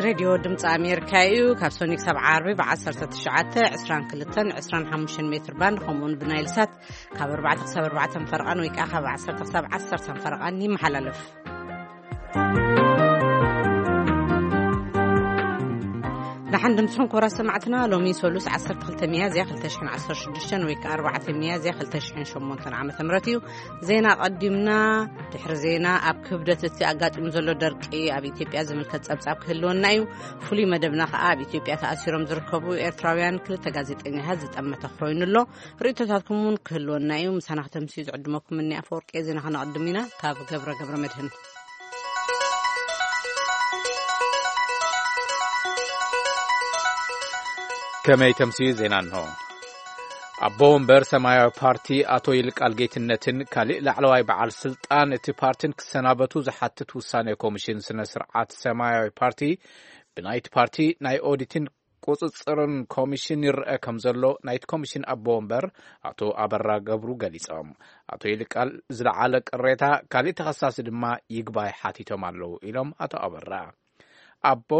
ሬድዮ ድምፂ ኣሜሪካ እዩ። ካብ ሶኒ ክሳብ ዓርቢ ብ19፣ 22፣ 25 ሜትር ባንድ፣ ከምኡውን ብናይል ሳት ካብ ኣርባዕተ ክሳብ ኣርባዕተ ፈረቓን ወይ ከዓ ካብ ዓሰርተ ክሳብ ዓሰርተ ፈረቓን ይመሓላለፍ። ደሓን ድምፅኹም ክቡራት ሰማዕትና። ሎሚ ሰሉስ ዓሰርተ ክልተ ሚያዝያ ክልተ ሽሕን ዓሰርተ ሽዱሽተን ወይ ከዓ ኣርባዕተ ሚያዝያ ክልተ ሽሕን ሸሞንተን ዓመተ ምህረት እዩ። ዜና ቀዲምና። ድሕሪ ዜና፣ ኣብ ክብደት እቲ ኣጋጢሙ ዘሎ ደርቂ ኣብ ኢትዮጵያ ዝምልከት ጸብጻብ ክህልወና እዩ። ፍሉይ መደብና ከኣ ኣብ ኢትዮጵያ ተኣሲሮም ዝርከቡ ኤርትራውያን ክልተ ጋዜጠኛታት ዝጠመተ ኮይኑ ኣሎ። ርእይቶታትኩም እውን ክህልወና እዩ። ምሳና ከተምስዩ ዝዕድመኩም እኒ ኣፈወርቂ ዜና ከነቐድም ኢና። ካብ ገብረ ገብረ መድህን። ከመይ ተምስዩ ዜና እንሆ። ኣቦ ወንበር ሰማያዊ ፓርቲ ኣቶ ይልቃል ጌትነትን ካሊእ ላዕለዋይ በዓል ስልጣን እቲ ፓርቲን ክሰናበቱ ዝሓትት ውሳኔ ኮሚሽን ስነ ስርዓት ሰማያዊ ፓርቲ ብናይቲ ፓርቲ ናይ ኦዲትን ቁጽጽርን ኮሚሽን ይረአ ከም ዘሎ ናይቲ ኮሚሽን ኣቦ ወንበር ኣቶ ኣበራ ገብሩ ገሊጾም። ኣቶ ይልቃል ዝለዓለ ቅሬታ፣ ካሊእ ተኸሳሲ ድማ ይግባይ ሓቲቶም ኣለዉ ኢሎም ኣቶ ኣበራ። ኣቦ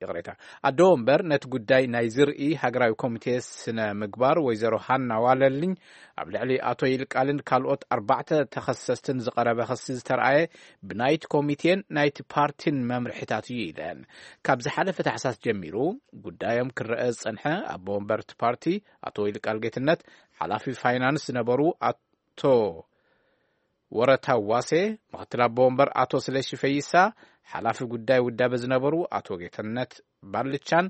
ይቕሬታ፣ ኣዶ ወንበር ነቲ ጉዳይ ናይ ዝርኢ ሃገራዊ ኮሚቴ ስነ ምግባር ወይዘሮ ሃና ዋለልኝ ኣብ ልዕሊ ኣቶ ይልቃልን ካልኦት ኣርባዕተ ተኸሰስትን ዝቐረበ ክሲ ዝተረኣየ ብናይቲ ኮሚቴን ናይቲ ፓርቲን መምርሒታት እዩ ኢለን። ካብ ዝሓለፈ ታሕሳስ ጀሚሩ ጉዳዮም ክረአ ዝጸንሐ ኣቦ ወንበር እቲ ፓርቲ ኣቶ ይልቃል ጌትነት፣ ሓላፊ ፋይናንስ ዝነበሩ ኣቶ ወረታ ዋሴ፣ ምኽትል ኣቦ ወንበር ኣቶ ስለሺ ፈይሳ፣ ሓላፊ ጉዳይ ውዳበ ዝነበሩ ኣቶ ጌትነት ባልቻን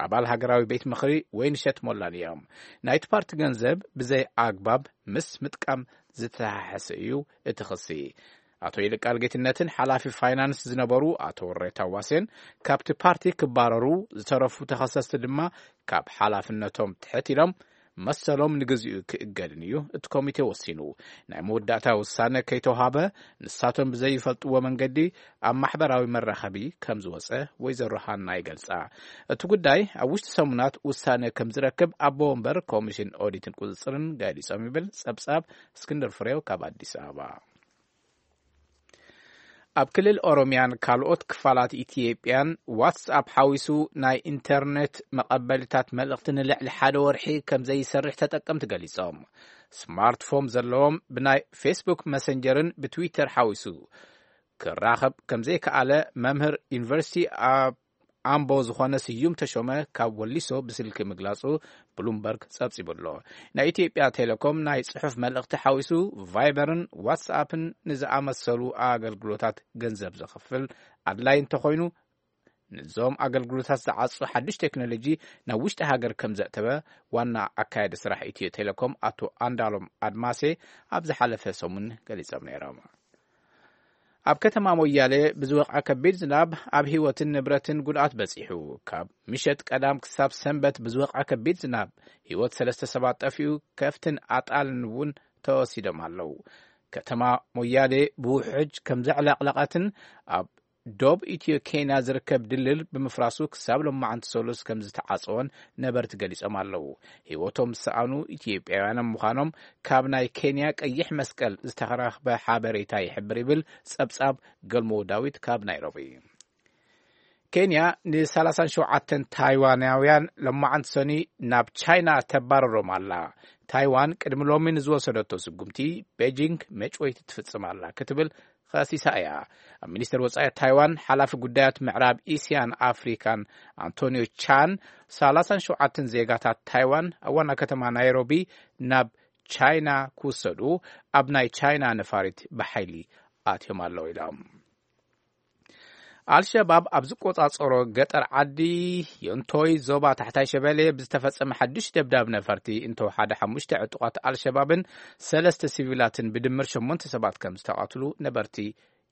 ኣባል ሃገራዊ ቤት ምኽሪ ወይንሸት ሞላን እዮም። ናይቲ ፓርቲ ገንዘብ ብዘይ ኣግባብ ምስ ምጥቃም ዝተሓሓሰ እዩ እቲ ክሲ። ኣቶ ይልቃል ጌትነትን ሓላፊ ፋይናንስ ዝነበሩ ኣቶ ወረታ ዋሴን ካብቲ ፓርቲ ክባረሩ፣ ዝተረፉ ተኸሰስቲ ድማ ካብ ሓላፍነቶም ትሕት ኢሎም መሰሎም ንግዚኡ ክእገድን እዩ እቲ ኮሚቴ ወሲኑ። ናይ መወዳእታ ውሳነ ከይተውሃበ ንሳቶም ብዘይፈልጥዎ መንገዲ ኣብ ማሕበራዊ መራኸቢ ከም ዝወጸ ወይዘሮ ሃና ይገልጻ። እቲ ጉዳይ ኣብ ውሽጢ ሰሙናት ውሳነ ከም ዝረክብ ኣቦ ወንበር ኮሚሽን ኦዲትን ቁጽጽርን ገሊጾም ይብል ጸብጻብ እስክንድር ፍሬው ካብ ኣዲስ ኣበባ። ኣብ ክልል ኦሮሚያን ካልኦት ክፋላት ኢትዮጵያን ዋትስኣፕ ሓዊሱ ናይ ኢንተርኔት መቐበሊታት መልእኽቲ ንልዕሊ ሓደ ወርሒ ከም ዘይሰርሕ ተጠቀምቲ ገሊጾም። ስማርትፎን ዘለዎም ብናይ ፌስቡክ መሰንጀርን ብትዊተር ሓዊሱ ክራኸብ ከም ዘይከኣለ መምህር ዩኒቨርሲቲ ኣብ ኣምቦ ዝኾነ ስዩም ተሾመ ካብ ወሊሶ ብስልኪ ምግላጹ ብሉምበርግ ጸብጺቡ ኣሎ። ናይ ኢትዮጵያ ቴሌኮም ናይ ጽሑፍ መልእኽቲ ሓዊሱ ቫይበርን ዋትስኣፕን ንዝኣመሰሉ ኣገልግሎታት ገንዘብ ዘኽፍል ኣድላይ እንተኾይኑ፣ ንዞም ኣገልግሎታት ዝዓጹ ሓድሽ ቴክኖሎጂ ናብ ውሽጢ ሃገር ከም ዘእተወ ዋና ኣካያዲ ስራሕ ኢትዮ ቴሌኮም ኣቶ ኣንዳሎም ኣድማሴ ኣብ ዝሓለፈ ሰሙን ገሊጾም ነይሮም። ኣብ ከተማ ሞያሌ ብዝወቕዐ ከቢድ ዝናብ ኣብ ህይወትን ንብረትን ጉድኣት በጺሑ። ካብ ምሸት ቀዳም ክሳብ ሰንበት ብዝወቕዐ ከቢድ ዝናብ ህይወት ሰለስተ ሰባት ጠፊኡ፣ ከፍትን ኣጣልን እውን ተወሲዶም ኣለዉ። ከተማ ሞያሌ ብውሕጅ ከም ዘዕለቕለቐትን ኣብ ዶብ ኢትዮ ኬንያ ዝርከብ ድልድል ብምፍራሱ ክሳብ ሎማዓንቲ ሰሉስ ከም ዝተዓጸወን ነበርቲ ገሊጾም ኣለዉ። ህይወቶም ዝሰኣኑ ኢትዮጵያውያን ምዃኖም ካብ ናይ ኬንያ ቀይሕ መስቀል ዝተረኽበ ሓበሬታ ይሕብር ይብል ጸብጻብ ገልሞ ዳዊት ካብ ናይሮቢ። ኬንያ ን ሰላሳን ሸውዓተን ታይዋናውያን ሎማዓንቲ ሰኒ ናብ ቻይና ተባረሮም ኣላ። ታይዋን ቅድሚ ሎሚ ንዝወሰደቶ ስጉምቲ ቤጂንግ መጭወይቲ ትፍጽም ኣላ ክትብል ከሲሳ እያ። ኣብ ሚኒስተር ወጻኢ ታይዋን ሓላፊ ጉዳያት ምዕራብ እስያን ኣፍሪካን ኣንቶኒዮ ቻን ሰላሳን ሸውዓተን ዜጋታት ታይዋን ኣብ ዋና ከተማ ናይሮቢ ናብ ቻይና ክውሰዱ ኣብ ናይ ቻይና ነፋሪት ብሓይሊ ኣትዮም ኣለዉ ኢሎም። ኣልሸባብ ኣብ ዝቆጻጸሮ ገጠር ዓዲ ዮንቶይ ዞባ ታሕታይ ሸበሌ ብዝተፈጸመ ሓድሽ ደብዳብ ነፈርቲ እንተወሓደ ሓሙሽተ ዕጡቓት ኣልሸባብን ሰለስተ ሲቪላትን ብድምር ሸሞንተ ሰባት ከም ዝተቓትሉ ነበርቲ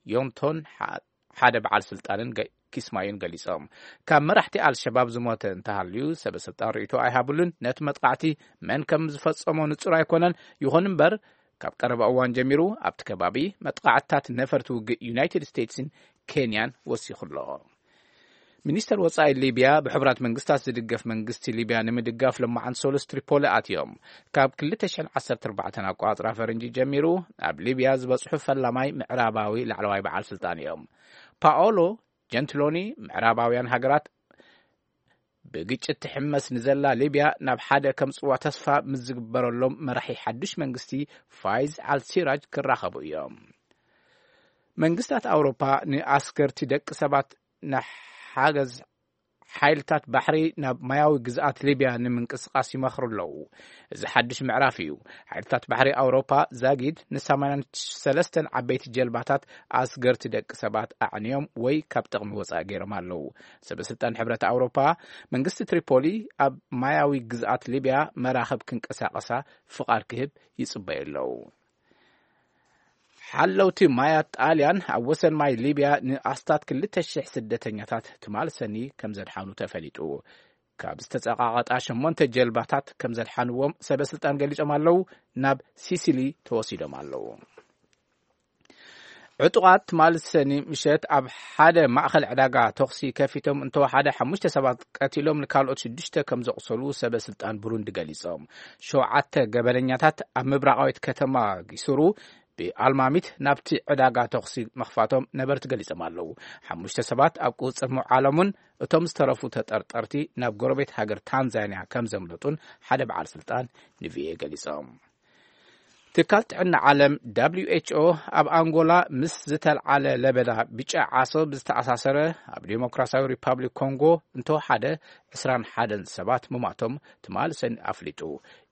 ዮንቶን ሓ-፣ ሓደ በዓል ስልጣንን ገ-፣ ኪስማዩን ገሊጾም። ካብ መራሕቲ ኣልሸባብ ዝሞተ እንተሃልዩ ሰበ ስልጣን ርእይቶ ኣይሃብሉን። ነቲ መጥቃዕቲ መን ከም ዝፈጸሞ ንጹር ኣይኮነን። ይኹን እምበር ካብ ቀረባ እዋን ጀሚሩ ኣብቲ ከባቢ መጥቃዕትታት ነፈርቲ ውግእ ዩናይትድ ስቴትስን ኬንያን ወሲኹ ኣሎ። ሚኒስተር ወጻኢ ሊብያ ብሕቡራት መንግስታት ዝድገፍ መንግስቲ ሊብያ ንምድጋፍ ሎማዓንቲ ሰሉስ ትሪፖሊ ኣትዮም። ካብ ክልተ ሽሕን ዓሰርተ ኣርባዕተን ኣቆጻጽራ ፈረንጂ ጀሚሩ ኣብ ሊብያ ዝበጽሑ ፈላማይ ምዕራባዊ ላዕለዋይ በዓል ስልጣን እዮም። ፓኦሎ ጀንትሎኒ ምዕራባውያን ሃገራት ብግጭት ትሕመስ ንዘላ ሊብያ ናብ ሓደ ከምጽዋ ተስፋ ምስ ዝግበረሎም መራሒ ሓዱሽ መንግስቲ ፋይዝ ኣልሲራጅ ክራኸቡ እዮም። መንግስታት ኣውሮፓ ንኣስገርቲ ደቂ ሰባት ንሓገዝ ሓይልታት ባሕሪ ናብ ማያዊ ግዝኣት ሊብያ ንምንቅስቓስ ይመኽሩ ኣለዉ። እዚ ሓድሽ ምዕራፍ እዩ። ሓይልታት ባሕሪ ኣውሮፓ ዛጊድ ን83 ዓበይቲ ጀልባታት ኣስገርቲ ደቂ ሰባት ኣዕንዮም ወይ ካብ ጥቕሚ ወጻኢ ገይሮም ኣለዉ። ሰበ ስልጣን ሕብረት ኣውሮፓ መንግስቲ ትሪፖሊ ኣብ ማያዊ ግዝኣት ሊብያ መራኽብ ክንቀሳቐሳ ፍቓድ ክህብ ይጽበዩ ኣለዉ። ሓለውቲ ማያት ጣልያን ኣብ ወሰን ማይ ሊብያ ንኣስታት ክልተ ሽሕ ስደተኛታት ትማል ሰኒ ከም ዘድሓኑ ተፈሊጡ። ካብ ዝተጸቓቐጣ ሸሞንተ ጀልባታት ከም ዘድሓንዎም ሰበ ስልጣን ገሊጾም ኣለዉ። ናብ ሲሲሊ ተወሲዶም ኣለዉ። ዕጡቓት ትማል ሰኒ ምሸት ኣብ ሓደ ማእኸል ዕዳጋ ተኹሲ ከፊቶም እንተወሓደ ሓሙሽተ ሰባት ቀቲሎም ንካልኦት ሽዱሽተ ከም ዘቑሰሉ ሰበ ስልጣን ብሩንዲ ገሊጾም። ሸውዓተ ገበነኛታት ኣብ ምብራቓዊት ከተማ ጊሱሩ ብኣልማሚት ናብቲ ዕዳጋ ተኹሲ ምኽፋቶም ነበርቲ ገሊጾም ኣለዉ። ሓሙሽተ ሰባት ኣብ ቁጽር ምውዓሎምን እቶም ዝተረፉ ተጠርጠርቲ ናብ ጎረቤት ሃገር ታንዛንያ ከም ዘምለጡን ሓደ በዓል ስልጣን ንቪኦኤ ገሊጾም። ትካል ጥዕና ዓለም ደብሊው ኤች ኦ ኣብ ኣንጎላ ምስ ዝተልዓለ ለበዳ ብጫ ዓሶ ብዝተኣሳሰረ ኣብ ዲሞክራሲያዊ ሪፓብሊክ ኮንጎ እንተወሓደ ዕስራን ሓደን ሰባት ምማቶም ትማል ሰኒ ኣፍሊጡ።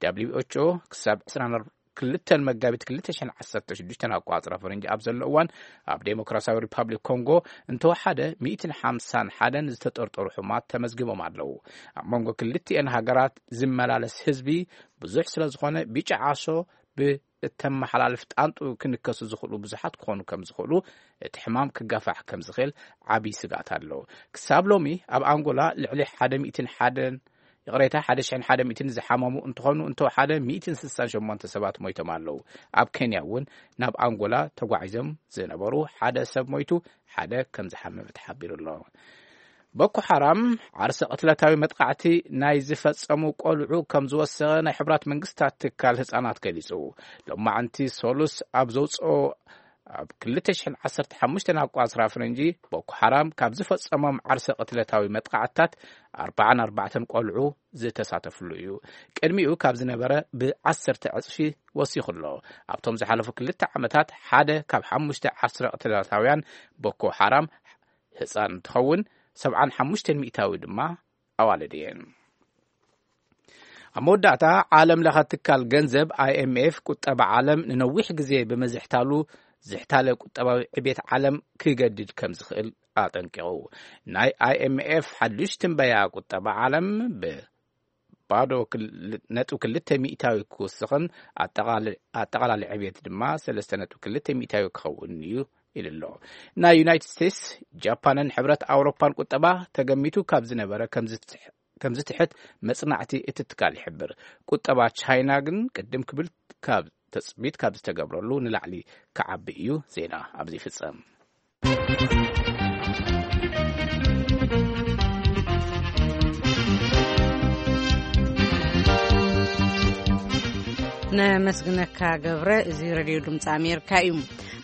ደብሊው ኤች ኦ ክሳብ ዕስራን ክልተን መጋቢት ክልተ ሽሕን ዓሰርተ ሽዱሽተን ኣቋጽራ ፈረንጂ ኣብ ዘሎ እዋን ኣብ ዴሞክራሲያዊ ሪፓብሊክ ኮንጎ እንተወሓደ ሚእትን ሓምሳን ሓደን ዝተጠርጠሩ ሕሙማት ተመዝጊቦም ኣለዉ። ኣብ መንጎ ክልቲኤን ሃገራት ዝመላለስ ህዝቢ ብዙሕ ስለ ዝኾነ ብጫ ዓሶ ብእተመሓላልፍ ጣንጡ ክንከሱ ዝኽእሉ ብዙሓት ክኾኑ ከም ዝኽእሉ እቲ ሕማም ክጋፋሕ ከም ዝኽእል ዓብዪ ስግኣት ኣሎ። ክሳብ ሎሚ ኣብ ኣንጎላ ልዕሊ ሓደ ሚእትን ሓደን ይቕሬታ፣ ሓደ ሽሕን ሓደ ሚእትን ዝሓመሙ እንትኾኑ፣ እንተወሓደ ሚእትን ስሳን ሸሞንተ ሰባት ሞይቶም ኣለዉ። ኣብ ኬንያ እውን ናብ ኣንጎላ ተጓዒዞም ዝነበሩ ሓደ ሰብ ሞይቱ፣ ሓደ ከም ዝሓመመ ተሓቢሩ ኣሎ። ቦኮ ሓራም ዓርሰ ቅትለታዊ መጥቃዕቲ ናይ ዝፈጸሙ ቆልዑ ከም ዝወሰኸ ናይ ሕቡራት መንግስታት ትካል ህጻናት ገሊጹ። ሎማዕንቲ ሶሉስ ኣብ ዘውጽኦ ኣብ ክልተ ሽሕን ዓሰርተ ሓሙሽተን ኣቋጽራ ፈረንጂ ቦኮ ሓራም ካብ ዝፈጸሞም ዓርሰ ቅትለታዊ መጥቃዕትታት ኣርባዓን ኣርባዕተን ቆልዑ ዝተሳተፍሉ እዩ። ቅድሚኡ ካብ ዝነበረ ብዓሰርተ ዕጽፊ ወሲኹ ኣሎ። ኣብቶም ዝሓለፉ ክልተ ዓመታት ሓደ ካብ ሓሙሽተ ዓርሰ ቅትለታውያን ቦኮ ሓራም ህጻን እንትኸውን፣ ሰብዓን ሓሙሽተን ሚእታዊ ድማ ኣዋልድ እየን። ኣብ መወዳእታ፣ ዓለም ለኸ ትካል ገንዘብ ኣይ ኤም ኤፍ ቁጠባ ዓለም ንነዊሕ ግዜ ብምዝሕታሉ ዝሕታለ ቁጠባዊ ዕቤት ዓለም ክገድድ ከም ዝኽእል ኣጠንቂቑ። ናይ ኣይ ኤም ኤፍ ሓዱሽ ትንበያ ቁጠባ ዓለም ብባዶ ክል-፣ ነጥቢ ክልተ ሚእታዊ ክውስኽን ኣጠቓል-፣ ኣጠቓላሊ ዕቤት ድማ ሰለስተ ነጥቢ ክልተ ሚእታዊ ክኸውን እዩ ኢሉ ኣሎ። ናይ ዩናይትድ ስቴትስ፣ ጃፓንን ሕብረት ኣውሮፓን ቁጠባ ተገሚቱ ካብ ዝነበረ ከም ዝትሕ-፣ ከም ዝትሕት መጽናዕቲ እቲ ትካል ይሕብር። ቁጠባ ቻይና ግን ቅድም ክብል ካብ ተጽቢት ካብ ዝተገብረሉ ንላዕሊ ክዓቢ እዩ። ዜና ኣብዚ ይፍጸም። ነመስግነካ ገብረ። እዚ ሬድዮ ድምፂ ኣሜሪካ እዩ።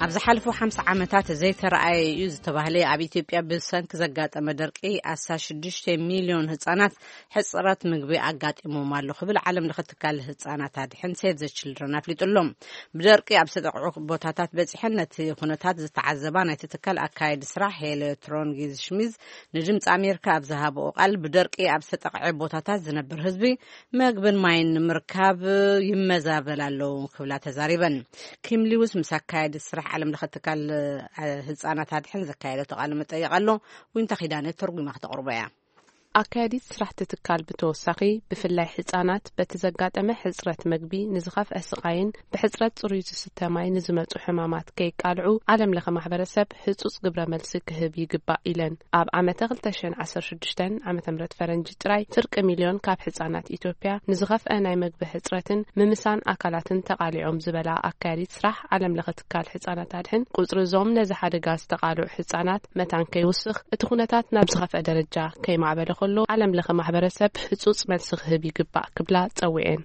ኣብ ዝሓለፉ ሓምሳ ዓመታት ዘይተረኣየ እዩ ዝተባህለ ኣብ ኢትዮጵያ ብሰንኪ ዘጋጠመ ደርቂ ኣስታት ሽዱሽተ ሚልዮን ህፃናት ሕፅረት ምግቢ ኣጋጢሞም ኣሎ ክብል ዓለም ለኸ ትካል ህፃናት ኣድሕን ሴቭ ዘ ችልድረን ኣፍሊጡ ኣሎ። ብደርቂ ኣብ ዝተጠቕዑ ቦታታት በፂሐን ነቲ ኩነታት ዝተዓዘባ ናይቲ ትካል ኣካየዲ ስራሕ ሄለ ትሮንጊዝ ሽሚዝ ንድምፂ ኣሜሪካ ኣብ ዝሃብኦ ቃል፣ ብደርቂ ኣብ ዝተጠቕዐ ቦታታት ዝነብር ህዝቢ መግብን ማይን ንምርካብ ይመዛበል ኣሎ ክብላ ተዛሪበን። ኪም ሊውስ ምስ ኣካየዲ ስራሕ ዓለም ለኸ ትካል፣ እ፣ ህፃናት ኣድሕን ዘካየደቶ ቃለ መጠይቕ ኣሎ። ዊንታ ኪዳነ ተርጉማ ክተቕርቦ እያ። ኣካያዲት ስራሕቲ ትካል ብተወሳኺ፣ ብፍላይ ህፃናት በቲ ዘጋጠመ ሕፅረት መግቢ ንዝኸፍአ ስቓይን ብሕፅረት ፅሩይ ዝስተ ማይ ንዝመፁ ሕማማት ከይቃልዑ ዓለም ለኸ ማሕበረሰብ ህፁፅ ግብረ መልሲ ክህብ ይግባእ ኢለን። ኣብ ዓመተ ክልተ ሽሕን ዓሰርተ ሽዱሽተን ዓመተ ምህረት ፈረንጂ ጥራይ ፍርቂ ሚልዮን ካብ ህፃናት ኢትዮጵያ ንዝኸፍአ ናይ መግቢ ሕፅረትን ምምሳን ኣካላትን ተቓሊዖም ዝበላ ኣካያዲት ስራሕ ዓለም ለኸ ትካል ህፃናት ኣድሕን፣ ቁፅሪ እዞም ነዚ ሓደጋ ዝተቓልዑ ህፃናት መታን ከይውስኽ፣ እቲ ኩነታት ናብ ዝኸፍአ ደረጃ ከይማዕበለ ከሎ ዓለም ለኸ ማሕበረሰብ ህፁፅ መልሲ ክህብ ይግባእ ክብላ ጸዊዐን።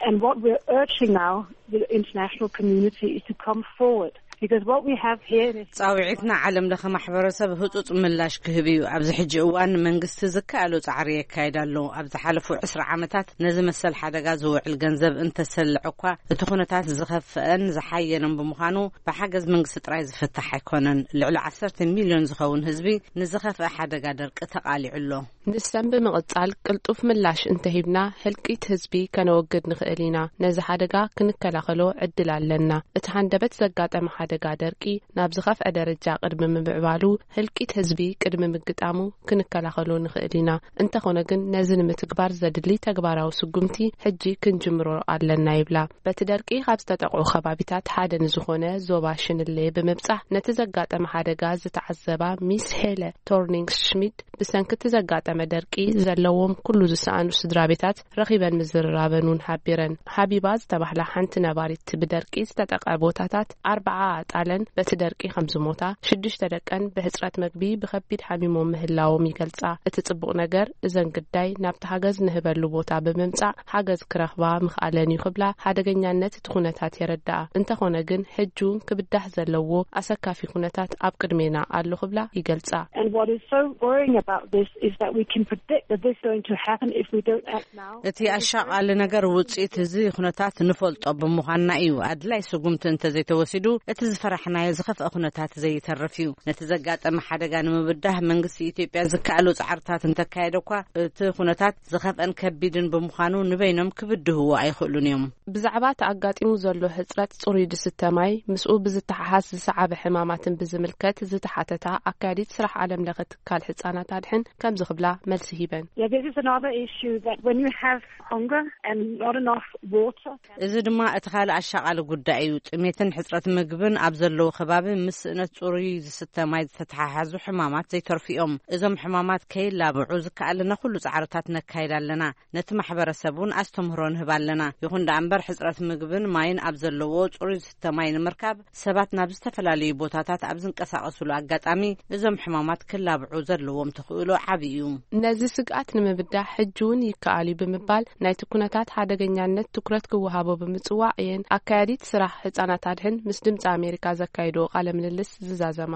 And what we're urging now the international community is to come forward. Because what we have here is ጻውዒትና ዓለም ለኸ ማሕበረሰብ ህጹጽ ምላሽ ክህብ እዩ። ኣብዚ ሕጂ እዋን መንግስቲ ዝከኣሎ ጻዕሪ የካይድ ኣሎ። ኣብ ዝሓለፉ ዕስራ ዓመታት ነዚ መሰል ሓደጋ ዝውዕል ገንዘብ እንተሰልዕ እኳ፣ እቲ ኩነታት ዝኸፍአን ዝሓየነን ብምዃኑ፣ ብሓገዝ መንግስቲ ጥራይ ዝፍታሕ ኣይኮነን። ልዕሊ ዓሰርተ ሚልዮን ዝኸውን ህዝቢ ንዝኸፍአ ሓደጋ ደርቂ ተቓሊዑ ኣሎ። ንሰን ብምቕጻል፣ ቅልጡፍ ምላሽ እንተሂብና፣ ህልቂት ህዝቢ ከነወግድ ንኽእል ኢና። ነዚ ሓደጋ ክንከላኸሎ ዕድል ኣለና። እቲ ሃንደበት ዘጋጠመ ሓደጋ ደርቂ ናብ ዝኸፍአ ደረጃ ቅድሚ ምምዕባሉ፣ ህልቂት ህዝቢ ቅድሚ ምግጣሙ ክንከላኸሎ ንኽእል ኢና። እንተኾነ ግን፣ ነዚ ንምትግባር ዘድሊ ተግባራዊ ስጉምቲ ሕጂ ክንጅምሮ ኣለና ይብላ። በቲ ደርቂ ካብ ዝተጠቕዑ ከባቢታት ሓደ ንዝኾነ ዞባ ሽንሌ ብምብጻሕ፣ ነቲ ዘጋጠመ ሓደጋ ዝተዓዘባ ሚስ ሄለ ቶርኒንግ ሽሚድ፣ ብሰንኪ እቲ ዘጋጠመ ደርቂ ዘለዎም ኩሉ ዝሰኣኑ ስድራ ቤታት ረኺበን ምዝርራበን እውን ሓቢረን። ሃቢባ ዝተባህላ ሓንቲ ነባሪት፣ ብደርቂ ዝተጠቕዐ ቦታታት ኣርባዓ ኣጣለን በቲ ደርቂ ከም ዝሞታ፣ ሽዱሽተ ደቀን ብሕጽረት መግቢ ብኸቢድ ሓሚሞም ምህላዎም ይገልጻ። እቲ ጽቡቕ ነገር፣ እዘን ግዳይ ናብቲ ሓገዝ ንህበሉ ቦታ ብምምጻእ ሓገዝ ክረኽባ ምኽኣለን እዩ ክብላ ሓደገኛነት እቲ ኩነታት የረድኣ። እንተኾነ ግን፣ ሕጂ እውን ክብዳህ ዘለዎ ኣሰካፊ ኩነታት ኣብ ቅድሜና ኣሎ ክብላ ይገልጻ። And what is so worrying about this is that we can predict that this is going to happen if we don't act now. እቲ ኣሻቓሊ ነገር ውጽኢት እዚ ኩነታት ንፈልጦ ብምዃንና እዩ። ኣድላይ ስጉምቲ እንተዘይተወሲዱ፣ እቲ ዝፈራሕናዮ ዝኸፍአ ኩነታት ዘይተርፍ እዩ። ነቲ ዘጋጠመ ሓደጋ ንምብዳህ መንግስቲ ኢትዮጵያ ዝከኣሉ ጻዕርታት እንተካየደ እኳ፣ እቲ ኩነታት ዝኸፍአን ከቢድን ብምዃኑ ንበይኖም ክብድህዎ ኣይኽእሉን እዮም። ብዛዕባ እቲ ኣጋጢሙ ዘሎ ህጽረት ጽሩይ ዝስተ ማይ፣ ምስኡ ብዝተሓሓዝ ዝሰዓበ ሕማማትን ብዝምልከት ዝተሓተታ ኣካያዲት ስራሕ ዓለም ለኸ ትካል ህጻናት ኣድሕን ከምዚ ክብላ መልሲ ሂበን። Yeah, this is another issue that when you have hunger and not enough water. እዚ ድማ እቲ ካልእ ኣሻቓሊ ጉዳይ እዩ። ጥሜትን ሕጽረት ምግብን ኣብ ዘለዎ ከባቢ ምስ ስእነት ጽሩይ ዝስተ ማይ ዝተተሓሓዙ ሕማማት ዘይተርፉ እዮም። እዞም ሕማማት ከይላብዑ ዝከኣለና ኩሉ ጻዕርታት ነካይድ ኣለና። ነቲ ማሕበረሰብ እውን ኣስተምህሮ ንህብ ኣለና። ይኹን ደኣ እምበር፣ ሕጽረት ምግብን ማይን ኣብ ዘለዎ ጽሩይ ዝስተ ማይ ንምርካብ፣ ሰባት ናብ ዝተፈላለዩ ቦታታት ኣብ ዝንቀሳቐሱሉ ኣጋጣሚ፣ እዞም ሕማማት ክላብዑ ዘለዎም ተኽእሎ ዓቢ እዩ። ነዚ ስግኣት ንምብዳህ ሕጂ እውን ይከኣል እዩ ብምባል፣ ናይቲ ኩነታት ሓደገኛነት ትኩረት ክወሃቦ ብምጽዋዕ እየን ኣካያዲት ስራሕ ህጻናት ኣድሕን ምስ ድምጺ ኣሜሪካ ዘካየድዎ ቃለ ምልልስ ዝዛዘማ።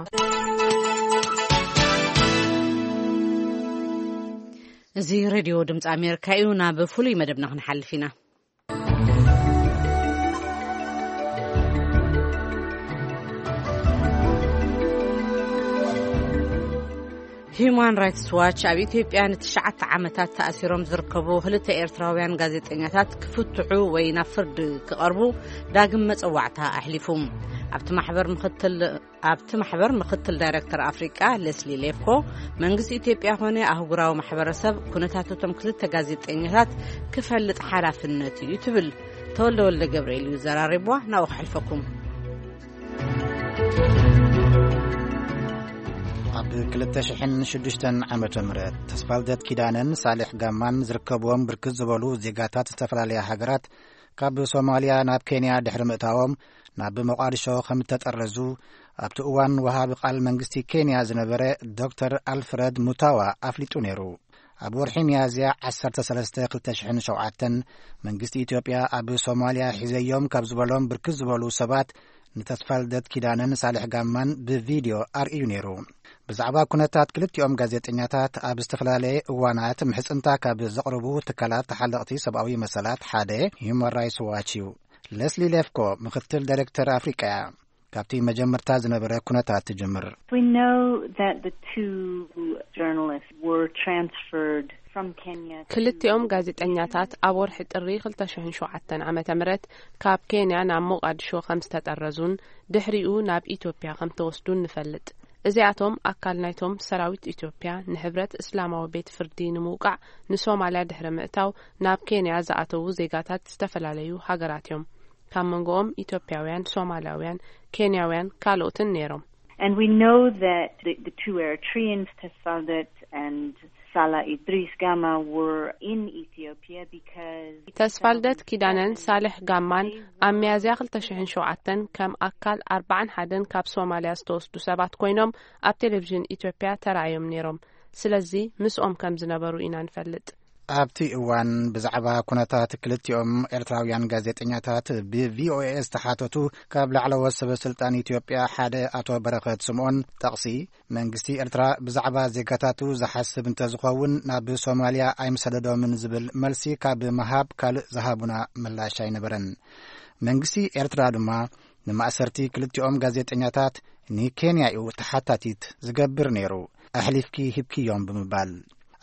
እዚ ሬድዮ ድምፂ ኣሜሪካ እዩ። ናብ ፍሉይ መደብና ክንሓልፍ ኢና። ሂዩማን ራይትስ ዋች ኣብ ኢትዮጵያ ንትሽዓተ ዓመታት ተኣሲሮም ዝርከቡ ክልተ ኤርትራውያን ጋዜጠኛታት ክፍትሑ ወይ ናብ ፍርዲ ክቐርቡ ዳግም መጸዋዕታ ኣሕሊፉ። ኣብቲ ማሕበር ምኽትል ኣብቲ ማሕበር ምኽትል ዳይሬክተር ኣፍሪቃ ሌስሊ ሌፍኮ፣ መንግስቲ ኢትዮጵያ ኾነ ኣህጉራዊ ማሕበረሰብ ኩነታት እቶም ክልተ ጋዜጠኛታት ክፈልጥ ሓላፍነት እዩ ትብል። ተወልደ ወልደ ገብርኤል እዩ ዘራሪብዋ። ናብኡ ክሕልፈኩም። ኣብ ክልተ ሽሕን ሽዱሽተን ዓመተ ምህረት፣ ተስፋልደት ኪዳነን ሳሌሕ ጋማን ዝርከብዎም ብርክት ዝበሉ ዜጋታት ዝተፈላለያ ሃገራት ካብ ሶማልያ ናብ ኬንያ ድሕሪ ምእታዎም፣ ናብ ሞቃዲሾ ከም እተጠረዙ ኣብቲ እዋን ወሃቢ ቃል መንግስቲ ኬንያ ዝነበረ ዶክተር ኣልፍረድ ሙታዋ ኣፍሊጡ ነይሩ። ኣብ ወርሒ ሚያዝያ ዓሰርተ ሰለስተ ክልተ ሽሕን ሸውዓተን፣ መንግስቲ ኢትዮጵያ ኣብ ሶማልያ ሒዘዮም ካብ ዝበሎም ብርክት ዝበሉ ሰባት፣ ንተስፋልደት ኪዳነን ሳልሕ ጋማን ብቪድዮ ኣርእዩ ነይሩ። ብዛዕባ ኩነታት ክልቲኦም ጋዜጠኛታት ኣብ ዝተፈላለየ እዋናት ምሕጽንታ ካብ ዘቕርቡ ትካላት ተሓለቕቲ ሰብኣዊ መሰላት ሓደ ሂዩማን ራይትስ ዋች እዩ። ለስሊ ሌፍኮ ምኽትል ዳይሬክተር ኣፍሪቃ እያ። ካብቲ መጀመርታ ዝነበረ ኩነታት ትጅምር። We know that the two journalists were transferred from Kenya to ክልቲኦም ጋዜጠኛታት ኣብ ወርሒ ጥሪ ክልተ ሽሕን ሸውዓተን ዓመተ ምህረት ካብ ኬንያ ናብ ሞቃዲሾ ከም ዝተጠረዙን ድሕሪኡ ናብ ኢትዮጵያ ከም ተወስዱን ንፈልጥ። እዚኣቶም ኣካል ናይቶም ሰራዊት ኢትዮጵያ ንሕብረት እስላማዊ ቤት ፍርዲ ንምውቃዕ ንሶማልያ ድሕሪ ምእታው ናብ ኬንያ ዝኣተዉ ዜጋታት ዝተፈላለዩ ሃገራት እዮም። ካብ መንጎኦም ኢትዮጵያውያን፣ ሶማልያውያን፣ ኬንያውያን ካልኦትን ነይሮም። And we know that the, the two Eritreans, Tesfaldet and Salah Idris Gama, were in Ethiopia because ተስፋልደት ኪዳነን ሳልሕ ጋማን ኣብ ሚያዝያ ክልተ ሽሕን ሸውዓተን ከም ኣካል ኣርባዓን ሓደን ካብ ሶማልያ ዝተወስዱ ሰባት ኮይኖም ኣብ ቴሌቪዥን ኢትዮጵያ ተራእዮም ነይሮም። ስለዚ ምስኦም ከም ዝነበሩ ኢና ንፈልጥ። ኣብቲ እዋን ብዛዕባ ኩነታት ክልቲኦም ኤርትራውያን ጋዜጠኛታት ብቪኦኤ ዝተሓተቱ ካብ ላዕለዎት ሰበ ስልጣን ኢትዮጵያ ሓደ ኣቶ በረኸት ስምኦን ጠቕሲ፣ መንግስቲ ኤርትራ ብዛዕባ ዜጋታቱ ዝሓስብ እንተዝኸውን ናብ ሶማልያ ኣይምሰደዶምን ዝብል መልሲ ካብ ምሃብ ካልእ ዝሃቡና ምላሽ ኣይነበረን። መንግስቲ ኤርትራ ድማ ንማእሰርቲ ክልቲኦም ጋዜጠኛታት ንኬንያ እዩ ተሓታቲት ዝገብር ነይሩ፣ ኣሕሊፍኪ ሂብክዮም ብምባል።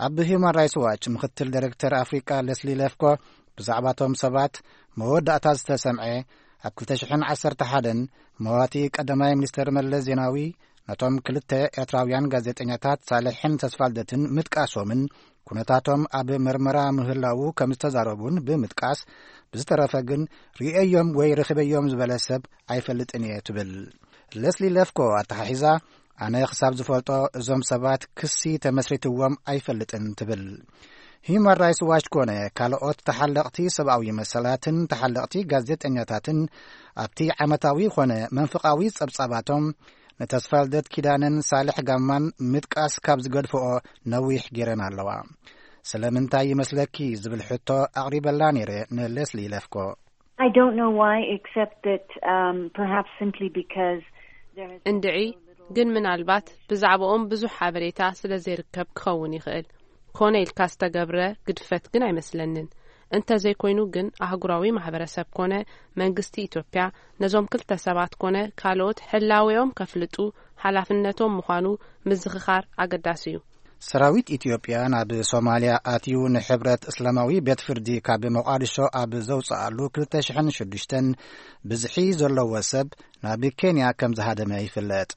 ኣብ ሂዩማን ራይትስ ዋች ምኽትል ዳይሬክተር ኣፍሪቃ ለስሊ ለፍኮ ብዛዕባቶም ሰባት መወዳእታ ዝተሰምዐ ኣብ ክልተ ሽሕን ዓሰርተ ሓደን መዋቲ ቀዳማይ ሚኒስተር መለስ ዜናዊ ነቶም ክልተ ኤርትራውያን ጋዜጠኛታት ሳልሕን ተስፋልደትን ምጥቃሶምን ኩነታቶም ኣብ መርመራ ምህላዉ ከም ዝተዛረቡን ብምጥቃስ፣ ብዝተረፈ ግን ርእየዮም ወይ ረኺበዮም ዝበለ ሰብ ኣይፈልጥን እየ ትብል። ለስሊ ለፍኮ ኣተሓሒዛ፣ ኣነ ክሳብ ዝፈልጦ እዞም ሰባት ክሲ ተመስሪትዎም ኣይፈልጥን ትብል። ሂዩማን ራይትስ ዋች ኮነ ካልኦት ተሓለቕቲ ሰብኣዊ መሰላትን ተሓለቕቲ ጋዜጠኛታትን ኣብቲ ዓመታዊ ኮነ መንፍቓዊ ጸብጻባቶም ንተስፋልደት ኪዳነን ሳልሕ ጋማን ምጥቃስ ካብ ዝገድፍኦ ነዊሕ ገይረን ኣለዋ። ስለምንታይ ይመስለኪ ዝብል ሕቶ ኣቕሪበላ ነይረ ንሌስሊ ለፍኮ። I don't know why, except that um, perhaps simply because there has been እንድዒ ግን ምናልባት ብዛዕባኦም ብዙሕ ሓበሬታ ስለ ዘይርከብ ክኸውን ይኽእል። ኮነ ኢልካ ዝተገብረ ግድፈት ግን ኣይመስለንን። እንተዘይኮይኑ ግን ኣህጉራዊ ማሕበረሰብ ኮነ መንግስቲ ኢትዮጵያ ነዞም ክልተ ሰባት ኮነ ካልኦት ህላዌኦም ከፍልጡ ሓላፍነቶም ምዃኑ ምዝኽኻር ኣገዳሲ እዩ። ሰራዊት ኢትዮጵያ ናብ ሶማልያ ኣትዩ ንሕብረት እስላማዊ ቤት ፍርዲ ካብ ሞቓዲሾ ኣብ ዘውፅኣሉ ክልተ ሽሕን ሽዱሽተን ብዝሒ ዘለዎ ሰብ ናብ ኬንያ ከም ዝሃደመ ይፍለጥ።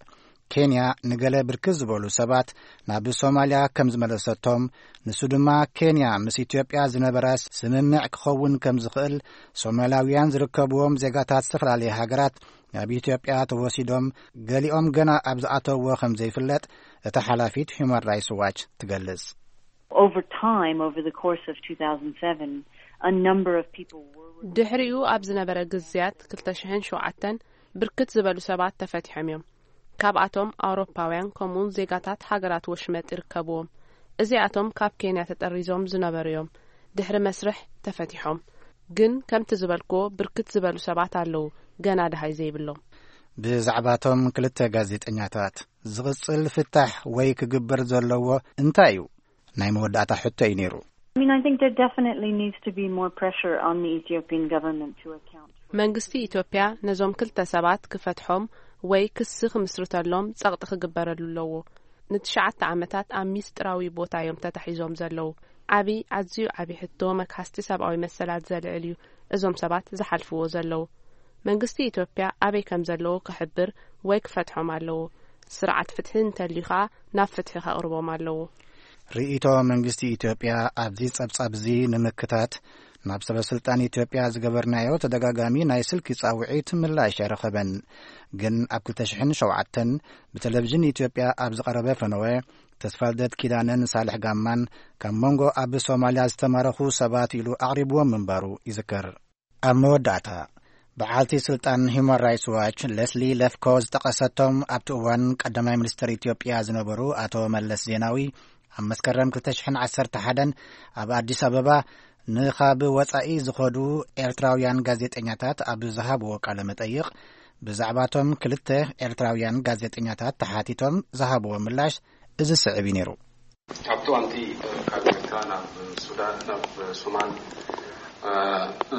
ኬንያ ንገለ ብርክት ዝበሉ ሰባት ናብ ሶማልያ ከም ዝመለሰቶም፣ ንሱ ድማ ኬንያ ምስ ኢትዮጵያ ዝነበራ ስምምዕ ክኸውን ከም ዝኽእል፣ ሶማላውያን ዝርከብዎም ዜጋታት ዝተፈላለየ ሃገራት ናብ ኢትዮጵያ ተወሲዶም፣ ገሊኦም ገና ኣብ ዝኣተውዎ ከም ዘይፍለጥ እታ ሓላፊት ሂዩማን ራይትስ ዋች ትገልጽ። Over time, over the course of two thousand seven, a number of people were ድሕሪኡ ኣብ ዝነበረ ግዝያት ክልተ ሽሕን ሸውዓተን ብርክት ዝበሉ ሰባት ተፈቲሖም እዮም። ካብኣቶም ኣውሮፓውያን ከምኡውን ዜጋታት ሃገራት ወሽመጥ ይርከብዎም። እዚኣቶም ካብ ኬንያ ተጠሪዞም ዝነበሩ እዮም። ድሕሪ መስርሕ ተፈቲሖም። ግን ከምቲ ዝበልክዎ ብርክት ዝበሉ ሰባት ኣለዉ ገና ደሃይ ዘይብሎም። ብዛዕባቶም ክልተ ጋዜጠኛታት ዝቕጽል ፍታሕ ወይ ክግበር ዘለዎ እንታይ እዩ? ናይ መወዳእታ ሕቶ እዩ ነይሩ። I mean, I think there definitely needs to be more pressure on the Ethiopian government to account for መንግስቲ ኢትዮጵያ ነዞም ክልተ ሰባት ክፈትሖም ወይ ክሲ ክምስርተሎም ጸቕጢ ክግበረሉ ኣለዎ። ንትሽዓተ ዓመታት ኣብ ሚስጥራዊ ቦታ እዮም ተታሒዞም ዘለዉ። ዓቢ ኣዝዩ ዓቢ ሕቶ መክሓስቲ ሰብኣዊ መሰላት ዘልዕል እዩ። እዞም ሰባት ዝሓልፍዎ ዘለዉ መንግስቲ ኢትዮጵያ ኣበይ ከም ዘለዉ ክሕብር ወይ ክፈትሖም ኣለዎ። ስርዓት ፍትሒ እንተልዩ ኸኣ ናብ ፍትሒ ከቕርቦም ኣለዎ። ርእይቶ መንግስቲ ኢትዮጵያ ኣብዚ ጸብጻብ እዚ ንምክታት ናብ ሰበ ስልጣን ኢትዮጵያ ዝገበርናዮ ተደጋጋሚ ናይ ስልኪ ጻውዒት ምላሽ ኣይረኸበን። ግን ኣብ ክልተ ሽሕን ሸውዓተን ብቴሌቪዥን ኢትዮጵያ ኣብ ዝቐረበ ፈነወ፣ ተስፋልደት ኪዳነን ሳልሕ ጋማን ካብ መንጎ ኣብ ሶማልያ ዝተማረኹ ሰባት ኢሉ ኣቕሪብዎም ምንባሩ ይዝከር። ኣብ መወዳእታ በዓልቲ ስልጣን ሂዩማን ራይትስ ዋች ለስሊ ለፍኮ ዝጠቐሰቶም ኣብቲ እዋን ቀዳማይ ሚኒስተር ኢትዮጵያ ዝነበሩ ኣቶ መለስ ዜናዊ ኣብ መስከረም ክልተ ሽሕን ዓሰርተ ሓደን ኣብ ኣዲስ ኣበባ ንኻብ ወጻኢ ዝኸዱ ኤርትራውያን ጋዜጠኛታት ኣብ ዝሃብዎ ቃለ መጠይቕ፣ ብዛዕባቶም ክልተ ኤርትራውያን ጋዜጠኛታት ተሓቲቶም ዝሃብዎ ምላሽ እዚ ስዕብ እዩ ነይሩ። ኣብቲ እዋንቲ ካብ ኤርትራ ናብ ሱዳን ናብ ሶማል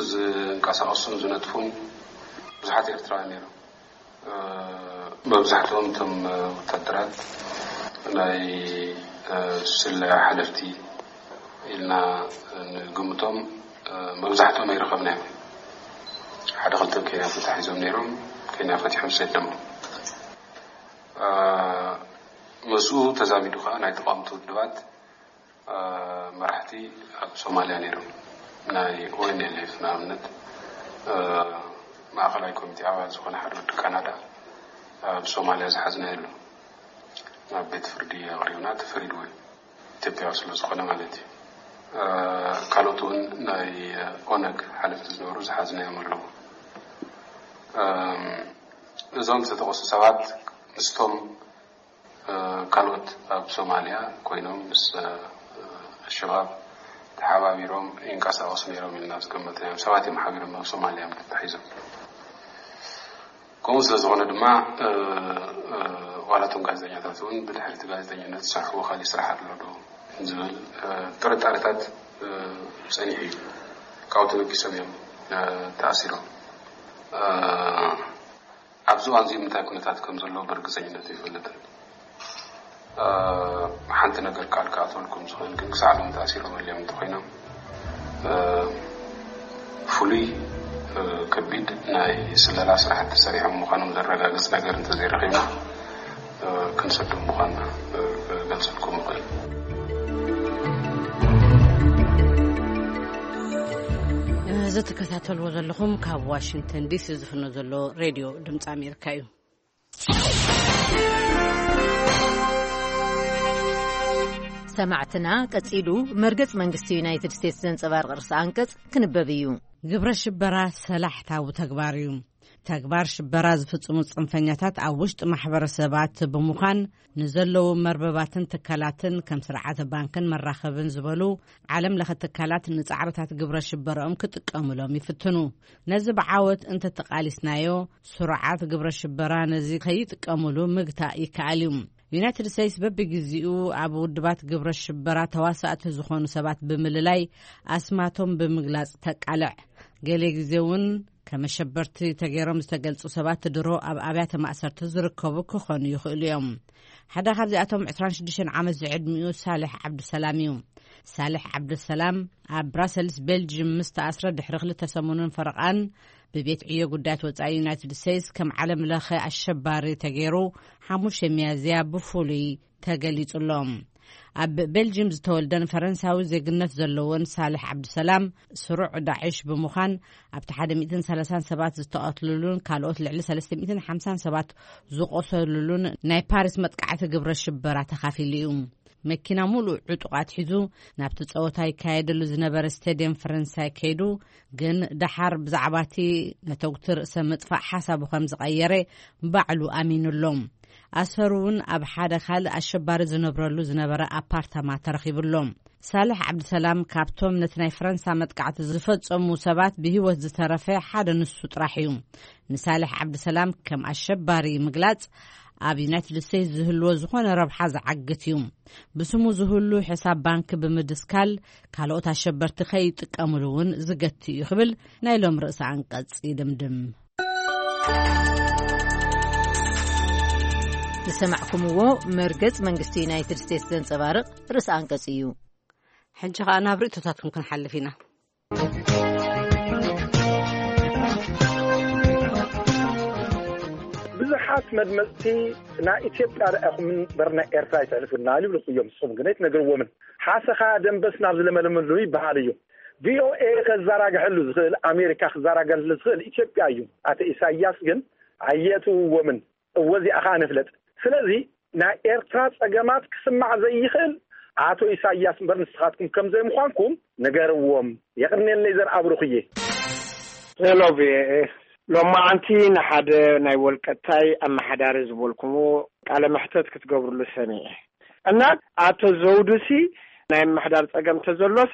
ዝንቀሳቐሱን ዝነጥፉን ብዙሓት ኤርትራውያን ነይሮም። መብዛሕትኦም እቶም ወታደራት ናይ ስለያ ሓለፍቲ ኢልና ንግምቶም መብዛሕትኦም ኣይረኸብናዮም። ሓደ ክልተ ኬንያ ተታሒዞም ነይሮም፣ ኬንያ ፈቲሖም ሰደሞም። ምስኡ ተዛሚዱ ከዓ ናይ ተቃወምቲ ውድባት መራሕቲ ኣብ ሶማልያ ነይሮም። ናይ ኦኤንኤልኤፍ ንኣብነት ማእኸላይ ኮሚቴ ኣባል ዝኾነ ሓደ ወዲ ካናዳ ኣብ ሶማልያ ዝሓዝናዮ ኣሎ። ናብ ቤት ፍርዲ ኣቕሪብና ተፈሪድዎ እዩ። ኢትዮጵያዊ ስለ ዝኾነ ማለት እዩ። ካልኦት እውን ናይ ኦነግ ሓለፍቲ ዝነበሩ ዝሓዝናዮም ኣለዉ። እዞም ዝተጠቐሱ ሰባት ምስቶም ካልኦት ኣብ ሶማልያ ኮይኖም ምስ ኣሸባብ ተሓባቢሮም ይንቀሳቐሱ ነይሮም ኢልና ዝገመትናዮም ሰባት እዮም ሓቢሮም ናብ ሶማልያ እዮም ተታሒዞም። ከምኡ ስለ ዝኾነ ድማ ዋላቶም ጋዜጠኛታት እውን ብድሕርቲ ጋዜጠኝነት ዝሰርሕዎ ካሊእ ስራሕ ኣሎ ዶ ዝብል ጥርጣረታት ጸኒሑ እዩ። ካብኡ ተበጊሶም እዮም ተኣሲሮም። ኣብዚ እዋን እዚ እንታይ ኩነታት ከም ዘሎ ብርግጸኝነት ይፈልጥን ሓንቲ ነገር ቃል ክኣትወልኩም ዝኽእል ግን ክሳዕ ሎም ተኣሲሮም ኣልዮም እንተኮይኖም ፍሉይ ከቢድ ናይ ስለላ ስራሕቲ ሰሪሖም ምዃኖም ዘረጋግፅ ነገር እንተዘይረኺብና ክንሰዶም ምዃንና ገልፀልኩም ይኽእል። እዚ ትከታተልዎ ዘለኹም ካብ ዋሽንግተን ዲሲ ዝፍኖ ዘሎ ሬድዮ ድምፂ ኣሜሪካ እዩ። ሰማዕትና ቀጺሉ መርገጽ መንግስቲ ዩናይትድ ስቴትስ ዘንጸባርቕ ርእሰ ኣንቀጽ ክንበብ እዩ። ግብረ ሽበራ ሰላሕታዊ ተግባር እዩ። ተግባር ሽበራ ዝፍጽሙ ጽንፈኛታት ኣብ ውሽጢ ማሕበረሰባት ብምዃን ንዘለዉ መርበባትን ትካላትን ከም ስርዓተ ባንክን መራኸብን ዝበሉ ዓለም ለኸ ትካላት ንጻዕርታት ግብረ ሽበረኦም ክጥቀሙሎም ይፍትኑ። ነዚ ብዓወት እንተተቓሊስናዮ ስሩዓት ግብረ ሽበራ ነዚ ከይጥቀሙሉ ምግታእ ይከኣል እዩ። ዩናይትድ ስቴትስ በብግዜኡ ኣብ ውድባት ግብረ ሽበራ ተዋሳእቲ ዝኾኑ ሰባት ብምልላይ ኣስማቶም ብምግላጽ ተቃልዕ። ገለ ግዜ እውን ከመሸበርቲ ተገይሮም ዝተገልጹ ሰባት ድሮ ኣብ ኣብያተ ማእሰርቲ ዝርከቡ ክኾኑ ይኽእሉ እዮም። ሓደ ካብዚኣቶም ዕስራን ሽዱሽተን ዓመት ዝዕድሚኡ ሳልሕ ዓብዱሰላም እዩ። ሳልሕ ዓብዱሰላም ኣብ ብራሰልስ ቤልጅም ምስ ተኣስረ ድሕሪ ክልተ ሰሙንን ፈረቓን ብቤት ዕዮ ጉዳያት ወጻኢ ዩናይትድ ስቴትስ ከም ዓለም ለኸ ኣሸባሪ ተገይሩ ሓሙሽተ ሚያዝያ ብፍሉይ ተገሊጹ ኣሎ። ኣብ ቤልጅም ዝተወልደን ፈረንሳዊ ዜግነት ዘለዎን ሳልሕ ዓብዱሰላም ስሩዕ ዳዕሽ ብምዃን ኣብቲ ሓደ ሚእትን ሰላሳን ሰባት ዝተቐትልሉን ካልኦት ልዕሊ ሰለስተ ሚእትን ሓምሳን ሰባት ዝቆሰልሉን ናይ ፓሪስ መጥቃዕቲ ግብረ ሽበራ ተኻፊሉ እዩ። መኪና ሙሉእ ዕጡቓት ሒዙ ናብቲ ጸወታ ይካየደሉ ዝነበረ ስቴድየም ፈረንሳይ ከይዱ ግን ደሓር ብዛዕባ እቲ ነተጉቲ ርእሰ ምጥፋእ ሓሳቡ ከም ዝቐየረ ባዕሉ ኣሚኑ ኣሎ። ኣሰሩ እውን ኣብ ሓደ ካልእ ኣሸባሪ ዝነብረሉ ዝነበረ ኣፓርታማ ተረኺቡ ኣሎ። ሳልሕ ዓብድሰላም ካብቶም ነቲ ናይ ፈረንሳ መጥቃዕቲ ዝፈጸሙ ሰባት ብህይወት ዝተረፈ ሓደ ንሱ ጥራሕ እዩ። ንሳልሕ ዓብድሰላም ከም ኣሸባሪ ምግላጽ ኣብ ዩናይትድ ስቴትስ ዝህልዎ ዝኾነ ረብሓ ዝዓግት እዩ። ብስሙ ዝህሉ ሕሳብ ባንክ ብምድስካል ካልኦት ኣሸበርቲ ከይጥቀምሉ እውን ዝገቲ እዩ ክብል ናይ ሎም ርእሰ ኣንቀጽ ይድምድም። ዝሰማዕኩምዎ መርገጽ መንግስቲ ዩናይትድ ስቴትስ ዘንጸባርቕ ርእሰ ኣንቀጽ እዩ። ሕጂ ኸኣ ናብ ርእቶታትኩም ክንሓልፍ ኢና። ብዙሓት መድመፅቲ ናይ ኢትዮጵያ ረኣኹም እምበር ናይ ኤርትራ ኣይተሕልፉና ይብሉ እዮም። ንስኹም ግን ኣይትነግርዎምን። ሓሰኻ ደንበስ ናብ ዝለመለመሉ ይበሃል እዩ። ቪኦኤ ከዘራግሐሉ ዝኽእል፣ ኣሜሪካ ክዘራገሐሉ ዝኽእል ኢትዮጵያ እዩ። ኣቶ ኢሳያስ ግን ኣየእትውዎምን። እወ እዚኣ ኸዓ ንፍለጥ። ስለዚ ናይ ኤርትራ ጸገማት ክስማዕ ዘይኽእል ኣቶ ኢሳያስ እምበር ንስኻትኩም ከም ዘይምዃንኩም ንገርዎም። የቕንየለይ ዘርኣብሩኽዬ። ሄሎ ቪኦኤ፣ ሎማዓንቲ ንሓደ ናይ ወልቀታይ ኣመሓዳሪ ዝበልኩምዎ ቃለ መሕተት ክትገብርሉ ሰሚዐ። እና ኣቶ ዘውዱሲ ናይ ምምሕዳር ጸገም ተዘሎስ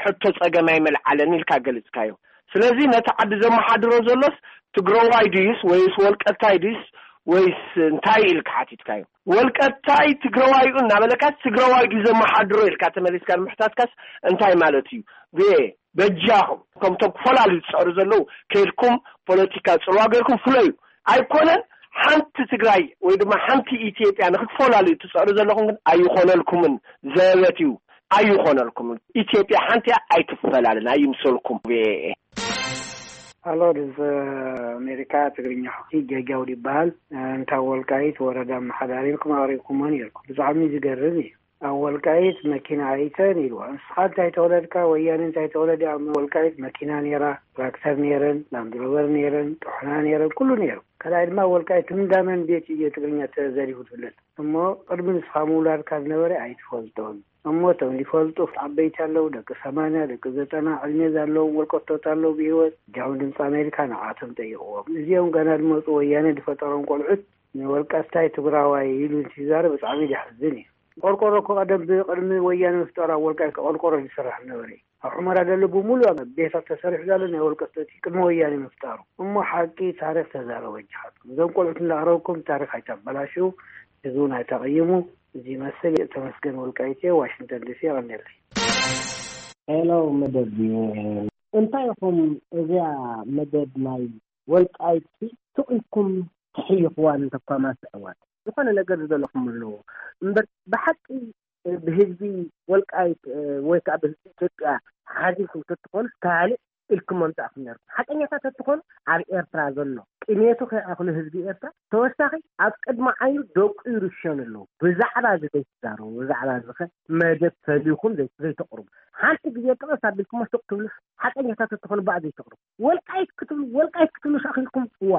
ሕቶ ጸገም ኣይመልዓለን ኢልካ ገሊጽካዮ። ስለዚ ነቲ ዓዲ ዘመሓድሮ ዘሎስ ትግረዋይ ድዩስ ወይስ ወልቀታይ ድዩስ ወይስ እንታይ ኢልካ ሓቲትካዮ። ወልቀታይ ትግረዋይኡ እናበለካስ ትግረዋይ ድዩ ዘመሓድሮ ኢልካ ተመሊስካ ንምሕታትካስ እንታይ ማለት እዩ? ብየ በጃኹም ከምቶም ክፈላልዩ ዝጸዕሩ ዘለዉ ከይድኩም ፖለቲካ ጽልዋ ገይርኩም ፍለዩ። ኣይኮነን ሓንቲ ትግራይ ወይ ድማ ሓንቲ ኢትዮጵያ ንክትፈላልዩ ትጸዕሩ ዘለኹም ግን ኣይኾነልኩምን። ዘበት እዩ። ኣይኾነልኩምን። ኢትዮጵያ ሓንቲ እያ። ኣይትፈላለን። ኣይምሰልኩም። ኣሎ ድምፂ ኣሜሪካ ትግርኛ ጌጋውድ ይበሃል። እንታ ወልቃይት ወረዳ ኣመሓዳሪ ኢልኩም ኣቕሪብኩሞ ነይርኩም። ብጣዕሚ ዝገርም እዩ። ኣብ ወልቃይት መኪና ኣይተን ኢልዋ። ንስኻ እንታይ ተወለድካ? ወያነ እንታይ ተወለደ? ኣብ ወልቃይት መኪና ነይራ፣ ትራክተር ነይረን፣ ላንድሮቨር ነይረን፣ ጥሑና ነይረን፣ ኩሉ ነይሩ። ካልኣይ ድማ ወልቃይት እንዳመን ቤት እዩ ትግርኛ ተዘሪፉ ትፍለጥ። እሞ ቅድሚ ንስኻ ምውላድካ ዝነበረ ኣይትፈልጦን። እሞ እቶም ዝፈልጡ ዓበይቲ ኣለዉ፣ ደቂ ሰማንያ ደቂ ዘጠና ዕድሜ ዘለዎም ወልቀቶት ኣለዉ ብህይወት። እጃኹም ድምፂ ኣሜሪካ ንዓቶም ጠይቕዎም። እዚኦም ገና ዝመፁ ወያነ ዝፈጠሮም ቆልዑት ንወልቀታይ ትግራዋይ ኢሉ እንትዛረብ ብጣዕሚ ዘሕዝን እዩ። ቆርቆሮ እኮ ቀደም ብቅድሚ ወያነ ምፍጣሩ ኣብ ወልቃይት ቆርቆሮ ዝስራሕ ነበረ። ኣብ ሑመራ ዘሎ ብምሉእ ቤታት ተሰሪሑ ዘሎ ናይ ወልቀ ስተቲ ቅድሚ ወያነ ምፍጣሩ። እሞ ሓቂ ታሪኽ ተዛረቡ ኣጆኻትኩም። እዞም ቆልዑት እንዳቕረብኩም ታሪኽ ኣይተበላሽው፣ ህዝቢ እውን ኣይተቐይሙ። እዚ ይመስል። ተመስገን ወልቃይት እየ፣ ዋሽንግተን ዲሲ። የቐንየለይ። ሄሎ መደብ፣ እንታይ ኢኹም እዚኣ መደብ ናይ ወልቃይት ሲ ስቕ ኢልኩም ትሕይኽዋ እንተኳ ማስዕዋት ዝኾነ ነገር ዝደለኹም ኣለዎ እምበር ብሓቂ ብህዝቢ ወልቃይት ወይ ከዓ ብህዝቢ ኢትዮጵያ ሓዚንኩም ተትኾኑ ካልእ ኢልኩም መምጻእኩም ነርኩም። ሓቀኛታት ተትኾኑ ኣብ ኤርትራ ዘሎ ቅኔቱ ከይኣኽሉ ህዝቢ ኤርትራ ተወሳኺ ኣብ ቅድሚ ዓይኑ ደቁ ይርሸኑ ኣለዉ። ብዛዕባ እዚ ዘይትዛረቡ፣ ብዛዕባ እዚ ኸ መደብ ፈሊኹም ዘይ-፣ ዘይተቕርቡ። ሓንቲ ግዜ ጥቕስ ኣቢልኩሞ ስቕ ትብሉ፣ ሓቀኛታት ተትኾኑ ብኣ ዘይተቕርቡ። ወልቃይት ክትብሉ፣ ወልቃይት ክትብሉ ሻኺልኩም፣ እዋ።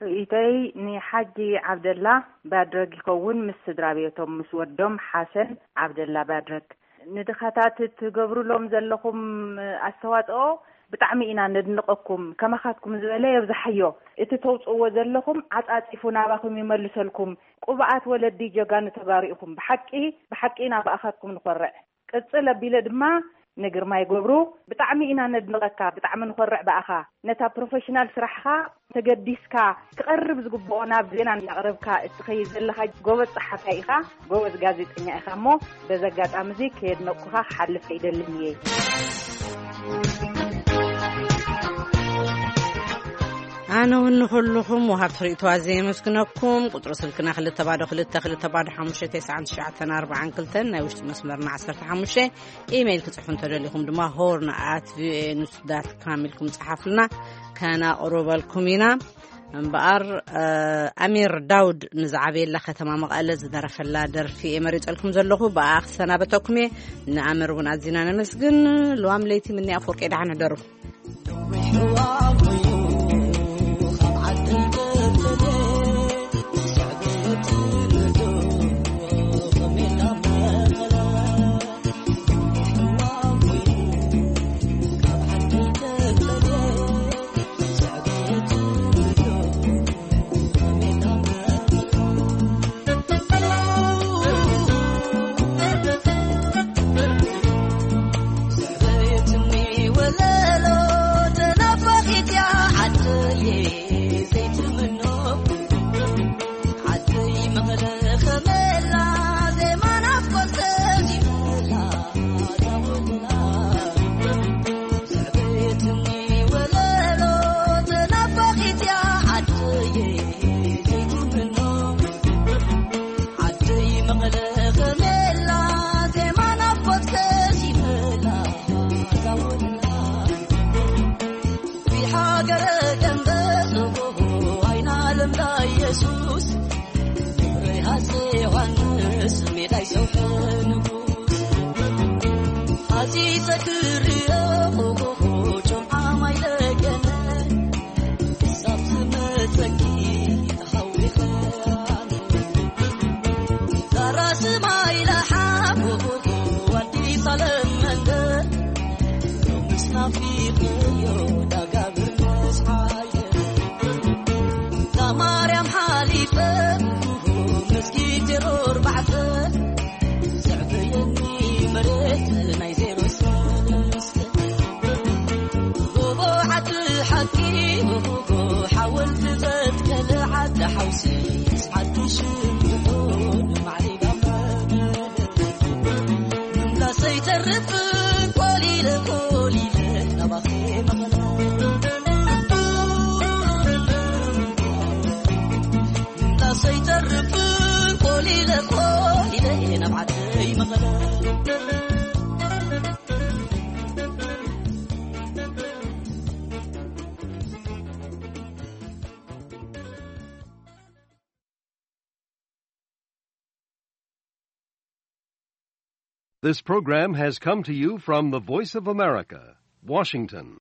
ርእይተይ ንሓጂ ዓብደላ ባድረግ ይኸውን፣ ምስ ስድራ ቤቶም፣ ምስ ወዶም ሓሰን ዓብደላ ባድረግ። ንድኻታት ትገብሩሎም ዘለኹም ኣስተዋጽኦ ብጣዕሚ ኢና ነድንቐኩም። ከማኻትኩም ዝበለ የብዝሓዮ። እቲ ተውጽእዎ ዘለኹም ዓጻጺፉ ናባኹም ይመልሰልኩም። ቅቡኣት ወለዲ ጀጋኑ ተጋሩ ኢኹም። ብሓቂ፣ ብሓቂ ኢና ብኣኻትኩም ንኾርዕ። ቅጽል ኣቢለ ድማ ንግርማይ ገብሩ ብጣዕሚ ኢና ነድንቐካ፣ ብጣዕሚ ንኾርዕ ብኣኻ። ነታ ፕሮፌሽናል ስራሕኻ ተገዲስካ ክቐርብ ዝግብኦ ናብ ዜና እናቕረብካ እትኸይድ ዘለኻ ጎበዝ ጸሓፋይ ኢኻ፣ ጎበዝ ጋዜጠኛ ኢኻ። እሞ በዚ ኣጋጣሚ እዚ ከየድነቕኩኻ ክሓልፍ ኣይደልን እየ። ኣነ እውን ንኹልኹም ወሃብቲ ርእይቶ ኣዝየ የመስግነኩም። ቁጽሪ ስልክና ክልተ ባዶ ክልተ ክልተ ባዶ ሓሙሽተ ተስዓን ትሽዓተን ኣርባዓን ክልተን፣ ናይ ውሽጢ መስመርና ዓሰርተ ሓሙሽተ። ኢሜይል ክጽሕፉ እንተደሊኹም ድማ ሆርን ኣት ቪኦኤ ኒውስ ዳት ካም ኢልኩም ጸሓፉልና፣ ከነቕርበልኩም ኢና። እምበኣር፣ እ፣ ኣሚር ዳውድ ንዝዓበየላ ከተማ መቐለ ዝደረፈላ ደርፊ እየ መሪጸልኩም ዘለኹ። ብኣ ክሰናበተኩም እየ። ንኣመር እውን ኣዚና ነመስግን። ልዋም ለይቲ ምኒ ኣፈወርቂ ደሓን ሕደሩ። This program has come to you from the Voice of America, Washington.